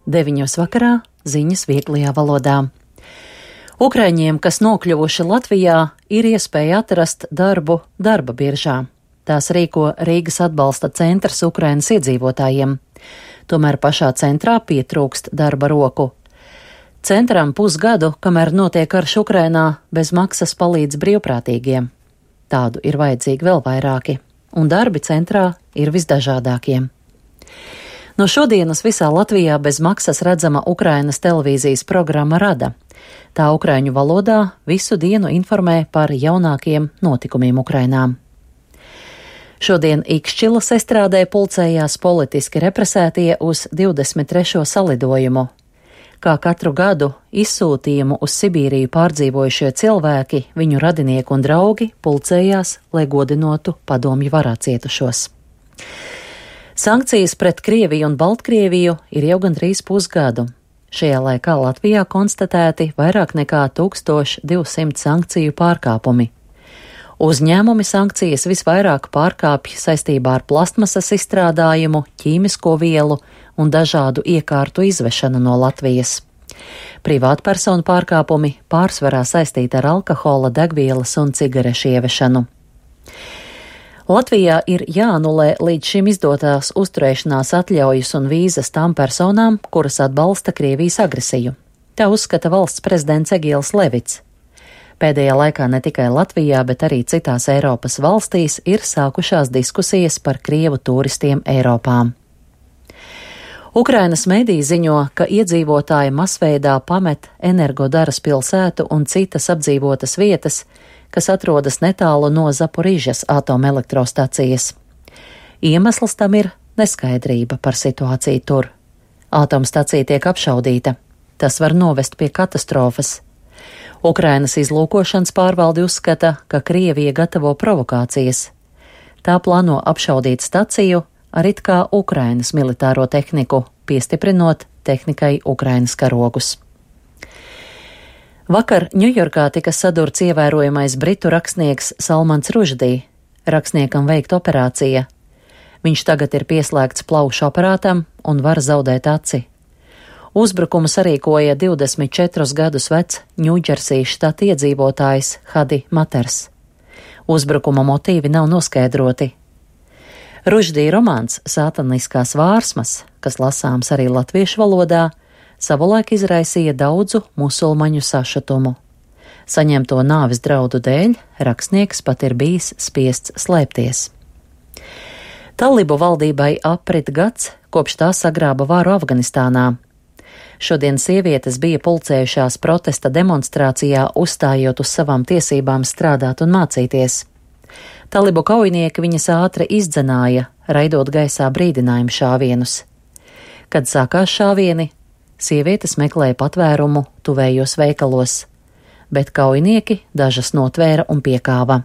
9 vakarā ziņas vieglajā valodā. Ukraiņiem, kas nokļuvuši Latvijā, ir iespēja atrast darbu darba biržā. Tās rīko Rīgas atbalsta centrs Ukrainas iedzīvotājiem. Tomēr pašā centrā pietrūkst darba roku. Centram pusgadu, kamēr notiek karš Ukrainā, bez maksas palīdz brīvprātīgiem. Tādu ir vajadzīgi vēl vairāki, un darbi centrā ir visdažādākie. No šodienas visā Latvijā bez maksas redzama Ukrainas televīzijas programma Rada. Tā ukraiņu valodā visu dienu informē par jaunākiem notikumiem Ukrainā. Šodien Ikšķilas estrādē pulcējās politiski represētie uz 23. salidojumu. Kā katru gadu izsūtījumu uz Sibīriju pārdzīvojušie cilvēki, viņu radinieki un draugi pulcējās, lai godinotu padomju varā cietušos. Sankcijas pret Krieviju un Baltkrieviju ir jau gandrīz pusgadu. Šajā laikā Latvijā konstatēti vairāk nekā 1200 sankciju pārkāpumi. Uzņēmumi sankcijas visvairāk pārkāpj saistībā ar plastmasas izstrādājumu, ķīmisko vielu un dažādu iekārtu izvešanu no Latvijas. Privātpersonu pārkāpumi pārsvarā saistīti ar alkohola, degvielas un cigarešu ievešanu. Latvijā ir jāanulē līdz šim izdotās uzturēšanās atļaujas un vīzas tām personām, kuras atbalsta Krievijas agresiju. Tā uzskata valsts prezidents Egils Levits. Pēdējā laikā ne tikai Latvijā, bet arī citās Eiropas valstīs ir sākušās diskusijas par krievu turistiem Eiropā. Ukrainas mediji ziņo, ka iedzīvotāji masveidā pamet Energodaras pilsētu un citas apdzīvotas vietas, kas atrodas netālu no Zaporižas atomelektrostacijas. Iemesls tam ir neskaidrība par situāciju tur. Atomstacija tiek apšaudīta. Tas var novest pie katastrofas. Ukrainas izlūkošanas pārvalde uzskata, ka Krievija gatavo provokācijas. Tā plāno apšaudīt staciju ar it kā Ukrainas militāro tehniku, piestiprinot tehnikai Ukrainas karogus. Vakar Ņujorkā tika sadurts ievērojamais britu rakstnieks Salmans Ruždī. Rakstniekam veikt operācija. Viņš tagad ir pieslēgts plaušu aparātam un var zaudēt aci. Uzbrukumu sarīkoja 24 gadus vecs Ņūdžersijas štata iedzīvotājs Hadi Maters. Uzbrukuma motīvi nav noskaidroti. Ruždī romāns Sātaniskās vārsmas, kas lasāms arī latviešu valodā, savulaik izraisīja daudzu musulmaņu sašutumu. Saņemto nāves draudu dēļ rakstnieks pat ir bijis spiests slēpties. Talibu valdībai aprit gads, kopš tā sagrāba varu Afganistānā. Šodien sievietes bija pulcējušās protesta demonstrācijā, uzstājot uz savām tiesībām strādāt un mācīties. Talibu kaujinieki viņas ātri izdzenāja, raidot gaisā brīdinājumu šāvienus. Kad sākās šāvieni, sievietes meklēja patvērumu tuvējos veikalos, bet kaujinieki dažas notvēra un piekāva.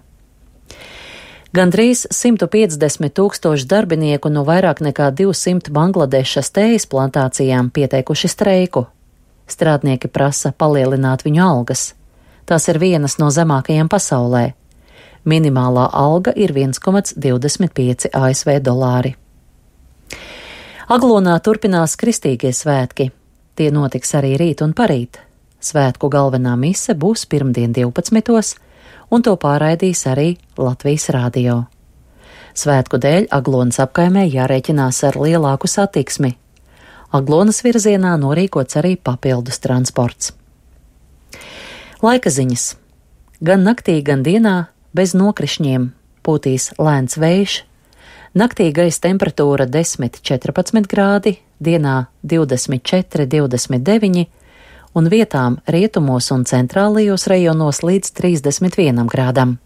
Gandrīz 150 000 darbinieku no vairāk nekā 200 Bangladešas tējas plantācijām pieteikuši streiku. Strādnieki prasa palielināt viņu algas. Tās ir vienas no zemākajām pasaulē. Minimālā alga ir 1,25 ASV dolāri. Aglonā turpinās kristīgie svētki. Tie notiks arī rīt un parīt. Svētku galvenā mise būs pirmdien 12. un to pārraidīs arī Latvijas radio. Svētku dēļ Aglonas apkaimē jārēķinās ar lielāku satiksmi. Aglonas virzienā norīkots arī papildus transports. Laika ziņas. Gan naktī, gan dienā bez nokrišņiem pūtīs lēns vējš. Naktī gaisa temperatūra 10–14 grādi, dienā 24–29 un vietām rietumos un centrālajos rajonos līdz 31 grādam.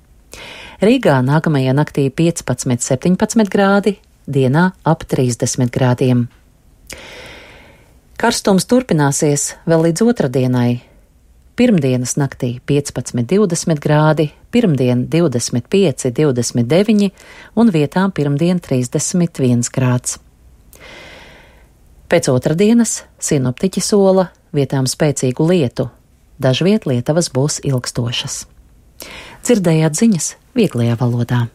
Rīgā nākamajā naktī 15–17 grādi, dienā ap 30 grādiem. Karstums turpināsies vēl līdz otrdienai. Pirmdienas naktī 15–20 grādi, pirmdien 25–29 un vietām pirmdien 31 grāds. Pēc otrdienas sinoptiķi sola vietām spēcīgu lietu. Dažviet lietavas būs ilgstošas. Dzirdējāt ziņas vieglajā valodā.